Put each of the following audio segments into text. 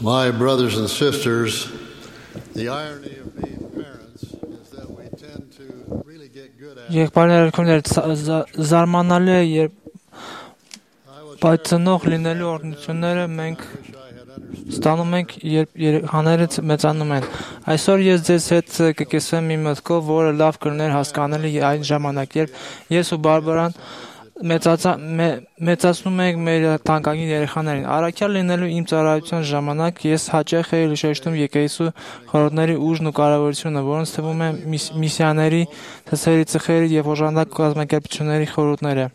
My brothers and sisters, the irony of being parents is that we tend to really get good at it. Զարմանալի է, երբ ծնող լինելու օրհնությունները մենք ստանում ենք, երբ երեխաներից մեծանում են։ Այսօր ես ձեզ հետ կկիսվեմ մի մտքով, որը լավ կլիներ հասկանալի այն ժամանակ, երբ ես ու Բարբարան մեծացնում ենք մեր թանկագին երեխաներին։ Առաքյալ լինելու իմ ծառայության ժամանակ ես հաճախ էի շեշտում եկեղեցու խորհուրդների ուժն ու կարևորությունը, որոնց թվում է միսիաների, թսերի ծխերի եւ օժանդակ կազմակերպությունների խորհուրդները։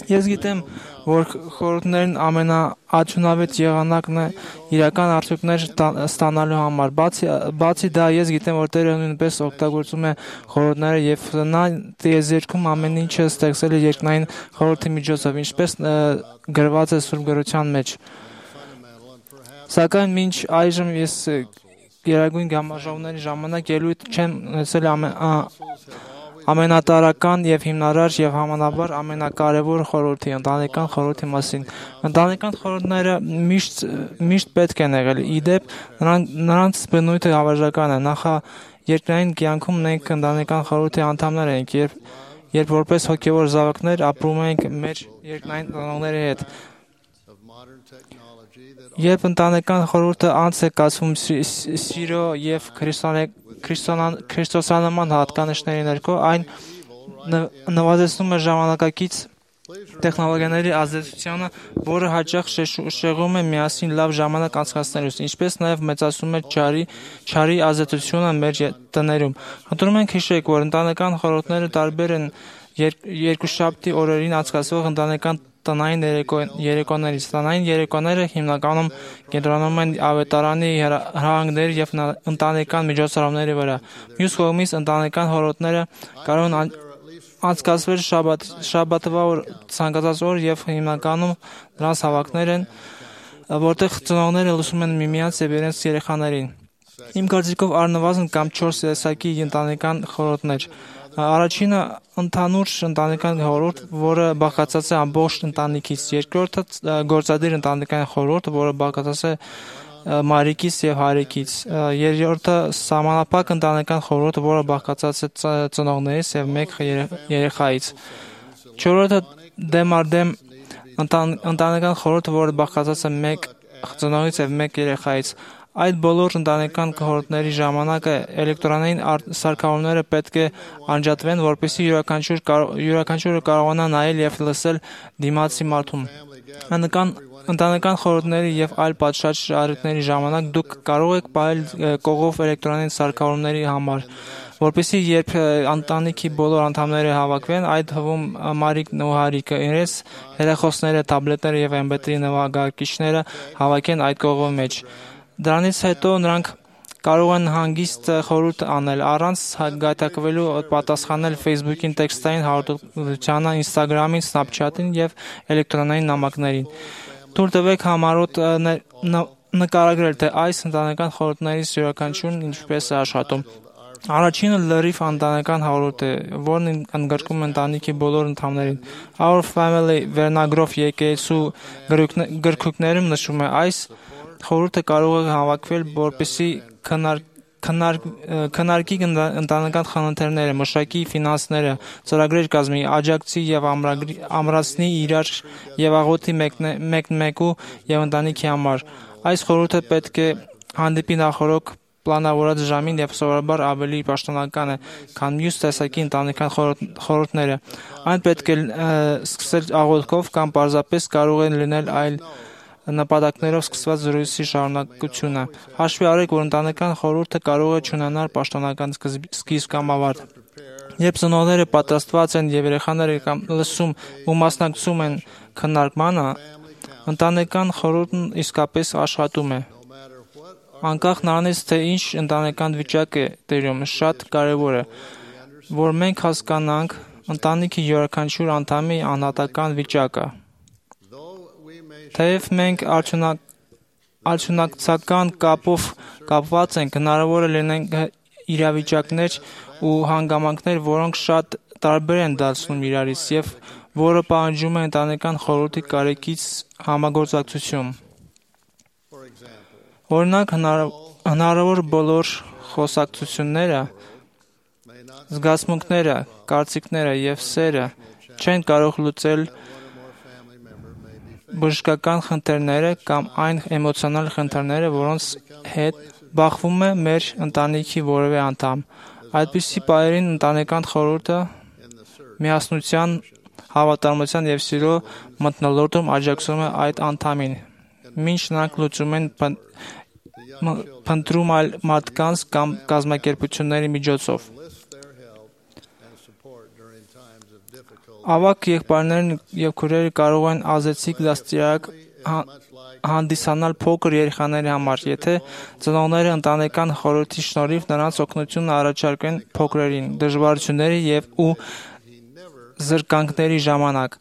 Ես գիտեմ, որ խորհուրդներն ամենաարդյունավետ եղանակն է իրական արդյունքներ ստանալու համար։ Բացի դա, ես գիտեմ, որ Տերը նույնպես օգտագործում է խորհուրդները եւ նա տիեզերքում ամեն ինչը ստեղծել է երկնային խորհրդի միջոցով, ինչպես գրված է Սուրբ Գրության մեջ։ Սակայն մինչ այժմ ես գերագույն գամաժողովների ժամանակ ելույթ չեմ ունեցել ամենատարրական եւ հիմնարար եւ համանաբար ամենակարևոր խորհրդի ընտանեկան խորհրդի մասին։ Ընտանեկան խորհուրդները միշտ պետք են եղել։ Իդեպ նրանց բնույթը հավերժական է։ Նախաերկրային կյանքում մենք ընտանեկան խորհրդի անդամներ ենք, երբ որպես հոգեվոր զավակներ ապրում ենք մեր երկնային ծնողների հետ։ Երբ ընտանեկան խորհուրդը անց է կացվում սիրո եւ քրիստոսյանման հատկանիշների ներքո, այն նվազեցնում է ժամանակակից տեխնոլոգիաների ազդեցությունը, որը հաճախ շեղում է միասին լավ ժամանակ անցկացնելուց, ինչպես նաև մեծացնում է չարի ազդեցությունը մեր տներում։ Խնդրում ենք հիշեք, որ ընտանեկան խորհուրդները տարբեր են երկուշաբթի օրերին անցկացվող ընտանեկան տնային երեկոներից։ Տնային երեկոները հիմնականում կենտրոնում են ավետարանի հրահանգների եւ ընտանեկան միջոցառումների վրա։ Մյուս կողմից ընտանեկան խորհուրդները կարող են անցկացվել շաբաթվա օր, ցանկացած օր եւ հիմնականում նրանց հավաքներ են, որտեղ ծնողները լսում են միմյանց եւ իրենց երեխաներին։ Իմ կարծիքով առնվազն կամ 4 տեսակի ընտանեկան խորհուրդներ։ Առաջինը ընդհանուր ընտանեկան խորհուրդ, որը բաղկացած է ամբողջ ընտանիքից։ Երկրորդը գործադիր ընտանեկան խորհուրդ, որը բաղկացած է մայրիկից եւ հայրիկից։ Երրորդը սահմանափակ ընտանեկան խորհուրդ, որը բաղկացած է ծնողներից եւ մեկ երեխայից։ Չորրորդը դեմարդեմ ընտանեկան խորհուրդ, որը բաղկացած է մեկ ծնողից եւ մեկ երեխայից։ Այդ բոլոր ընտանեկան խորհուրդների ժամանակ էլեկտրոնային սարքավորումները պետք է անջատվեն, որպեսզի յուրաքանչյուրը կարողանա նայել եւ լսել դիմացի մարդուն։ Ընտանեկան խորհուրդների եւ այլ պատշաճ առիթների ժամանակ դուք կարող եք պահել կողով էլեկտրոնային սարքավորումների համար, որպեսզի երբ ընտանիքի բոլոր անդամները հավաքվեն, այդ թվում մայրիկն ու հայրիկը իրենց հեռախոսները, թաբլետները եւ MP3 նվագարկիչները հավաքեն այդ կողովի մեջ։ Դրանից հետո նրանք կարող են հանգիստ խորհուրդ անել, առանց գայթակղվելու պատասխանել Facebook-ին, տեքստային հաղորդակցությանը, Instagram-ին, Snapchat-ին եւ էլեկտրոնային նամակներին։ Թույլ տվեք համառոտ նկարագրել, թե այս ընտանեկան խորհուրդներից յուրաքանչյուրն ինչպես է աշխատում։ Առաջինը լրիվ ընտանեկան խորհուրդ է, որն ընդգրկում է ընտանիքի բոլոր անդամներին։ Our Family վերնագրով եկեղեցու գրքույկներում նշվում է այս խորհուրդը կարող է հավաքվել, որպեսզի քննարկի ընտանեկան խնդիրները, մշակի ֆինանսները, ծրագրեր կազմի, աջակցի եւ ամրացնի իրար եւ աղոթի մեկնմեկու եւ ընտանիքի համար։ Այս խորհուրդը պետք է հանդիպի նախորդ պլանավորած ժամին եւ սովորաբար ավելի պաշտոնական է, քան մյուս տեսակի ընտանեկան խորհուրդները։ Այն պետք է սկսել աղոթքով կամ պարզապես կարող է լինել այլ նպատակներով սկսված զրույցի շարունակությունը։ Հաշվի առեք, որ ընտանեկան խորհուրդը կարող է չունենալ պաշտոնական սկիզբ կամ ավարտ։ Երբ ծնողները պատրաստված են եւ երեխաները կամ լսում ու մասնակցում են քննարկմանը, ընտանեկան խորհուրդն իսկապես աշխատում է։ Անկախ նրանից, թե ինչ ընտանեկան վիճակ է տիրում, շատ կարեւոր է, որ մենք հասկանանք ընտանիքի յուրաքանչյուր անդամի անհատական վիճակը։ Թեև մենք արդյունակցական կապով կապված ենք, հնարավոր է լինեն իրավիճակներ ու հանգամանքներ, որոնք շատ տարբեր են դարձնում իրարից եւ որը պահանջում է ընտանեկան խորհրդի կարեկից համագործակցություն։ Օրինակ, հնարավոր բոլոր խոսակցությունները, զգացմունքները, կարծիքները և սերը չեն կարող լուծել բժշկական խնդիրները կամ այն էմոցիոնալ խնդիրները, որոնց հետ բախվում է մեր ընտանիքի որևէ անդամ։ Այդպիսի պահերին ընտանեկան խորհուրդը միասնության, հավատարմության և սիրո մթնոլորտում աջակցում է այդ անդամին, մինչ նրանք լուծում են փնտրում այլ մարդկանց կամ կազմակերպությունների միջոցով։ Ավագ եղբայրներն և քույրերը կարող են ազդեցիկ դաստիարակ հանդիսանալ փոքր երեխաների համար, եթե ծնողները ընտանեկան խորհրդի շնորհիվ նրանց օգնություն առաջարկեն փոքրերին դժվարությունների ու զրկանքների ժամանակ։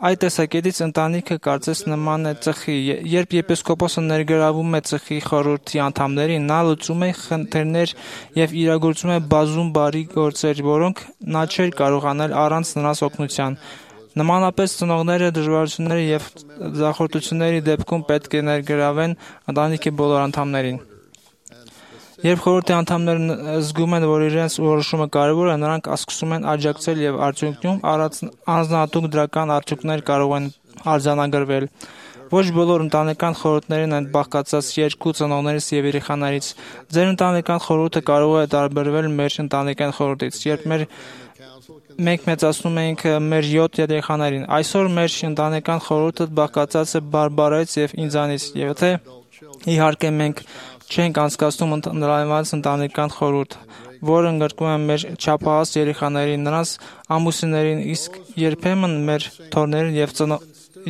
Այդ տեսակետից ընտանիքը կարծես նման է ծխի։ Երբ եպիսկոպոսը ներգրավում է ծխի խորհրդի անդամներին, նա լուծում է խնդիրներ և իրագործում է բազում բարի գործեր, որոնք նա չէր կարող անել առանց նրանց օգնության։ Նմանապես, ծնողները դժվարությունների և ձախողությունների դեպքում պետք է ներգրավեն ընտանիքի բոլոր անդամներին։ Երբ խորհրդի անդամները զգում են, որ իրենց որոշումը կարևոր է, նրանք սկսում են աջակցել և արդյունքում առանձնահատուկ դրական արդյունքներ կարող են արձանագրվել։ Ոչ բոլոր ընտանեկան խորհուրդներն են բաղկացած երկու ծնողներից և երեխաներից։ Ձեր ընտանեկան խորհուրդը կարող է տարբերվել մեր ընտանեկան խորհրդից, երբ մենք մեծացնում էինք մեր 7 երեխաներին։ Այսօր մեր ընտանեկան խորհուրդը բաղկացած է Բարբարայից և ինձանից, եթե իհարկե մենք չենք անցկացնում ընդլայնված ընտանեկան խորհուրդ, որը ընդգրկում է մեր չափահաս երեխաներին, նրանց ամուսիններին, իսկ երբեմն մեր թոռներին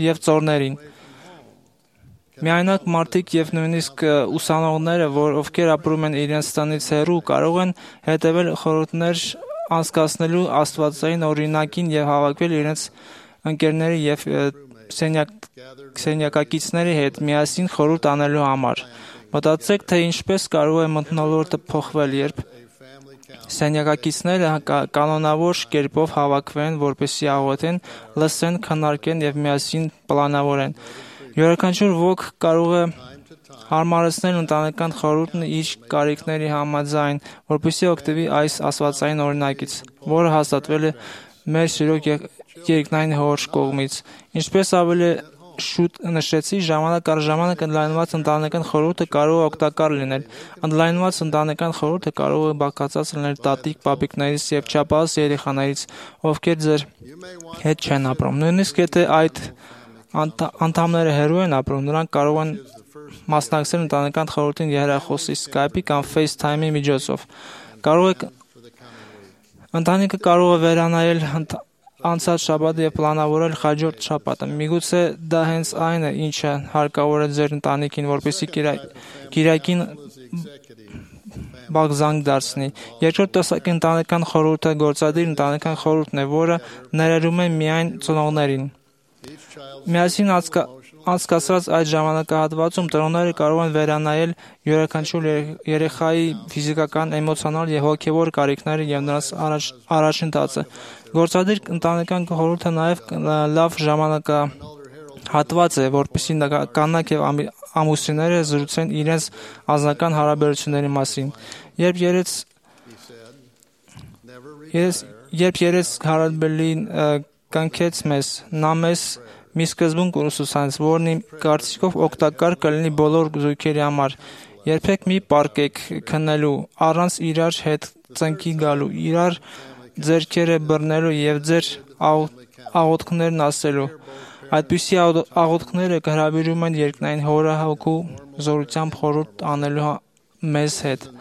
և ծոռներին։ Միայնակ մարդիկ և նույնիսկ ուսանողները, ովքեր ապրում են իրենց տնից հեռու, կարող են հետևել խորհուրդներ անցկացնելու աստվածային օրինակին և հավաքվել իրենց ընկերների և սենյակակիցների հետ միասին խորհուրդ անելու համար։ Մտածեք, թե ինչպես կարող է մթնոլորտը փոխվել, երբ սենյակակիցները կանոնավոր կերպով հավաքվեն, որպեսզի աղոթեն, լսեն, քննարկեն և միասին պլանավորեն։ Յուրաքանչյուր ոք կարող է հարմարեցնել ընտանեկան խորհուրդն իր կարիքների համաձայն, որպեսզի օգտվի այս աստվածային օրինակից, որը հաստատվել է մեր սիրո երկնային Հոր կողմից։ Ինչպես ավելի շուտ նշեցի, ժամանակ առ ժամանակ ընդլայնված ընտանեկան խորհուրդը կարող է օգտակար լինել։ Ընդլայնված ընտանեկան խորհուրդը կարող է բաղկացած լինել տատիկ, պապիկներից և չափահաս երեխաներից, ովքեր ձեր հետ չեն ապրում։ Նույնիսկ եթե այդ անդամները հեռու են ապրում, նրանք կարող են մասնակցել ընտանեկան խորհրդին եռախոսի, Skype-ի կամ FaceTime-ի միջոցով։ Ընտանիքը կարող է վերանայել անցած շաբաթը և պլանավորել հաջորդ շաբաթը։ Միգուցե դա հենց այն է, ինչը հարկավոր է ձեր ընտանիքին, որպեսզի կիրակին բաղձանք դարձնի։ Երկրորդ տեսակի ընտանեկան խորհուրդը գործադիր ընտանեկան խորհուրդն է, որը ներառում է միայն ծնողներին։ Միասին անցկացրած այդ ժամանակահատվածում ծնողները կարող են վերանայել յուրաքանչյուր երեխայի ֆիզիկական, էմոցիոնալ և հոգևոր կարիքները և նրանց առաջընթացը։ Գործադիր ընտանեկան խորհուրդը նաև լավ ժամանակահատված է, որպեսզի կանայք և ամուսինները զրուցեն իրենց անձնական հարաբերությունների մասին։ Երբ երես Հարաբելին կնքեց մեզ, նա մեզ մի սկզբունք ուսուցանեց, որն իմ կարծիքով օգտակար կլինի բոլոր զույգերի համար։ Երբեք մի պառկեք քննելու, առանց իրար հետ ծնկի գալու, իրար ձեռքերը բռնելու և ձեր աղոթքներն ասելու։ Այդպիսի աղոթքները հրավիրում են երկնային Հորը Հոգու զորությամբ խորհուրդ անելու մեզ հետ։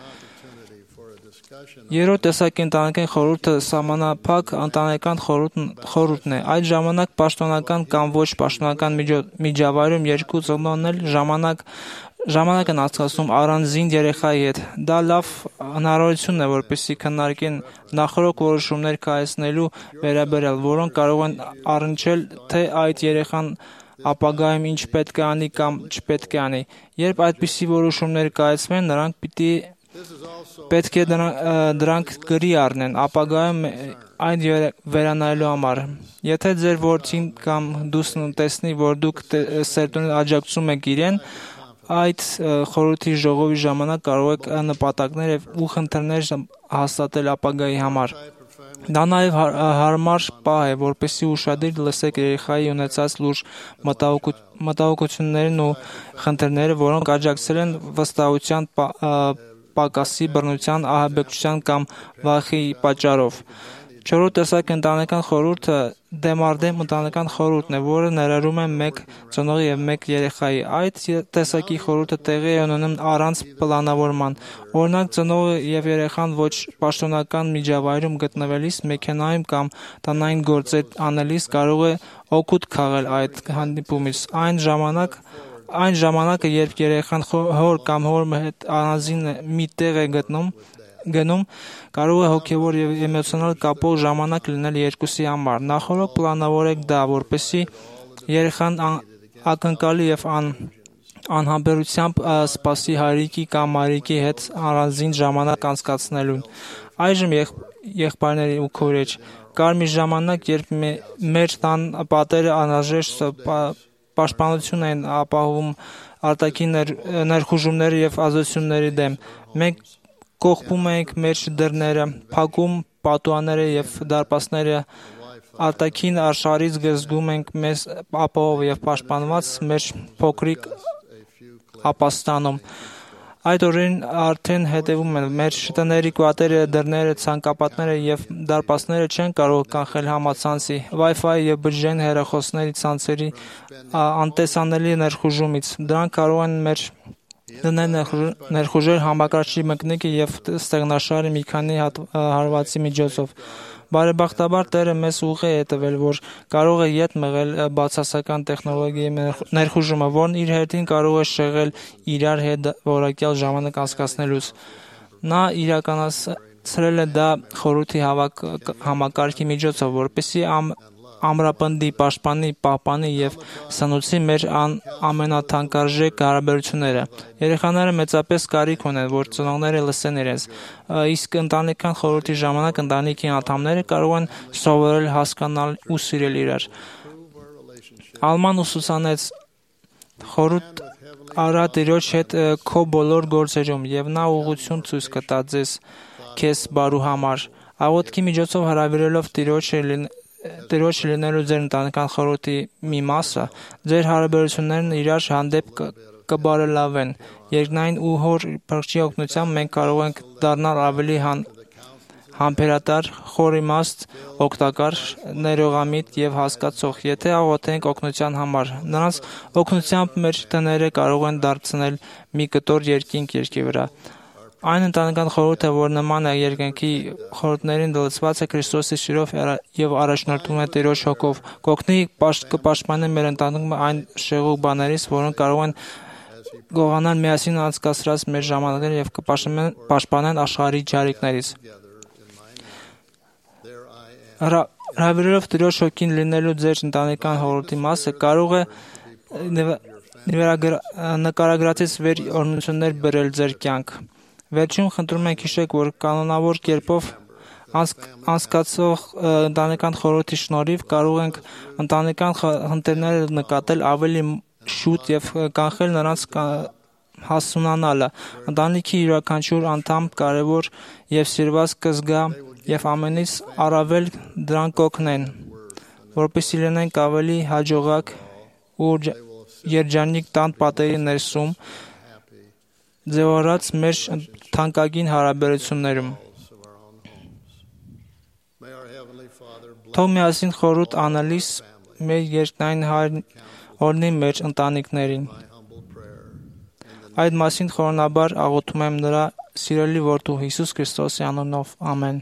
Երրորդ տեսակի ընտանեկան խորհուրդը սահմանափակ ընտանեկան խորհուրդն է։ Այդ ժամանակ պաշտոնական կամ ոչ պաշտոնական միջավայրում երկու ծնողներն էլ ժամանակ են անցկացնում առանձին երեխայի հետ։ Դա լավ հնարավորություն է, որպեսզի քննարկեն նախօրոք որոշումներ կայացնելու վերաբերյալ, որոնք կարող են առնչել, թե այդ երեխան ապագայում ինչ պետք է անի կամ չպետք է անի։ Երբ այդպիսի որոշումներ կայացվեն, նրանք պետք է դրանք գրի առնեն ապագայում այն վերանայելու համար։ Եթե ձեր որդին կամ դուսն տեսնի, որ դուք սերտորեն աջակցում եք իրեն, այդ խորհրդի ժողովի ժամանակ կարող եք նպատակներ ու խնդիրներ հաստատել ապագայի համար։ Դա նաև հարմար պահ է, որպեսզի ուշադիր լսեք երեխայի ունեցած լուրջ մտահոգություններն ու խնդիրները, որոնք աջակցել են վստահության պակասի, բռնության, ահաբեկչության կամ վախի պատճառով։ Չորրորդ տեսակ ընտանեկան խորհուրդը դեմարդեմ ընտանեկան խորհուրդն է, որը ներառում է մեկ ծնողի և մեկ երեխայի։ Այդ տեսակի խորհուրդը տեղի է ունենում առանց պլանավորման։ Օրինակ, ծնողը և երեխան ոչ պաշտոնական միջավայրում գտնվելիս, մեքենայում կամ տնային գործեր անելիս կարող է օգուտ քաղել այդ հանդիպումից։ Այն ժամանակը, երբ երեխան հոր կամ հոր հետ առանձին մի տեղ է գնում, կարող է հոգևոր և էմոցիոնալ կապող ժամանակ լինել երկուսի համար։ Նախօրոք պլանավորեք դա, որպեսզի երեխան ակնկալի և անհամբերությամբ սպասի հայրիկի կամ մայրիկի հետ առանձին ժամանակ անցկացնելուն։ Այժմ, եղբայրներ ու քույրեր, կար մի ժամանակ, երբ մեր տան պատերը անհրաժեշտ պաշտպանություն էին ապահովում արտաքին ներխուժումների և ազդեցությունների դեմ։ Մենք կողպում էինք մեր դռները, փակում պատուհանները և դարպասները, արտաքին աշխարհից զգում ենք մեզ ապահով և պաշտպանված մեր փոքրիկ ապաստանում։ Այդ օրերին արդեն հետևում են։ Մեր տների կպատերը, դռները, ցանկապատները և դարպասները չեն կարող կանխել համացանցի, Wi-Fi և բջջային հեռախոսների ցանցերի անտեսանելի ներխուժումից։ Դրանք կարող են մեր տները ներխուժել համակարգչի մկնիկը և ստեղնաշարի մի քանի հարվածի միջոցով։ Բարեբախտաբար, Տերը մեզ ուղի է տվել, որ կարող է ետ մղել բացասական տեխնոլոգիայի ներխուժումը, որն իր հերթին կարող է շեղել իրար հետ որակյալ ժամանակ անցկացնելուց։ Նա իրականացրել է դա խորհրդի համակարգի միջոցով, որպեսզի ամրապնդի, պաշտպանի, պահպանի և սնուցի մեր ամենաթանկարժեք հարաբերությունները։ Երեխաները մեծապես կարիք ունեն, որ ծնողները լսեն իրենց, իսկ ընտանեկան խորհրդի ժամանակ ընտանիքի անդամները կարող են սովորել հասկանալ ու սիրել իրար։ Ալման ուսուցանեց. «Խորհուրդ արա Տիրոջ հետ քո բոլոր գործերում, և նա ուղղություն ցույց կտա քեզ բարու համար»։ Աղոթքի միջոցով հրավիրելով Տիրոջ լինելու ձեր ընտանեկան խորհրդի մի մասը, ձեր հարաբերություններն իրար հանդեպ կբարելավեն։ Երկնային ու Հոր Փրկչի օգնությամբ մենք կարող ենք դառնալ ավելի համբերատար, խորիմաստ, օգտակար, ներողամիտ և հասկացող, եթե աղոթենք օգնության համար։ Նրանց օգնությամբ մեր տները կարող են դարձնել մի կտոր երկինք երկրի վրա։ Այն ընտանեկան խորհուրդը, որ նման է երկնքի խորհուրդներին, լցված է Քրիստոսի սիրով և առաջնորդվում է Տիրոջ հոգով, կօգնի կպաշտպանի մեր ընտանիքը այն շեղող բաներից, որոնք կարող են գողանալ միասին անցկացրած մեր ժամանակները և կպաշտպանեն աշխարհի ջարիկներից։ Հրավիրելով Տիրոջ հոգին լինելու ձեր ընտանեկան խորհրդի մասը, կարող է նկարագրածից վեր օրհնություններ բերել ձեր կյանք։ Վերջում խնդրում ենք հիշեք, որ կանոնավոր կերպով անցկացող ընտանեկան խորհրդի շնորհիվ կարող ենք ընտանեկան խնդիրները նկատել ավելի շուտ և կանխել նրանց հասունանալը։ Ընտանիքի յուրաքանչյուր անդամ կարևոր և սիրված կզգա, և ամենից առավել դրանք կօգնեն, որպեսզի լինենք ավելի հաջողակ ու երջանիկ տան պատերի ներսում ձևավորած մեր թանկագին հարաբերություններում։ Թող միասին խորհուրդ անելիս մեր երկնային Հայրն օրհնի մեր ընտանիքներին։ Այդ մասին խորոնաբար աղոթում եմ Նրա սիրելի որդու Հիսուս Քրիստոսի անունով։ Ամեն։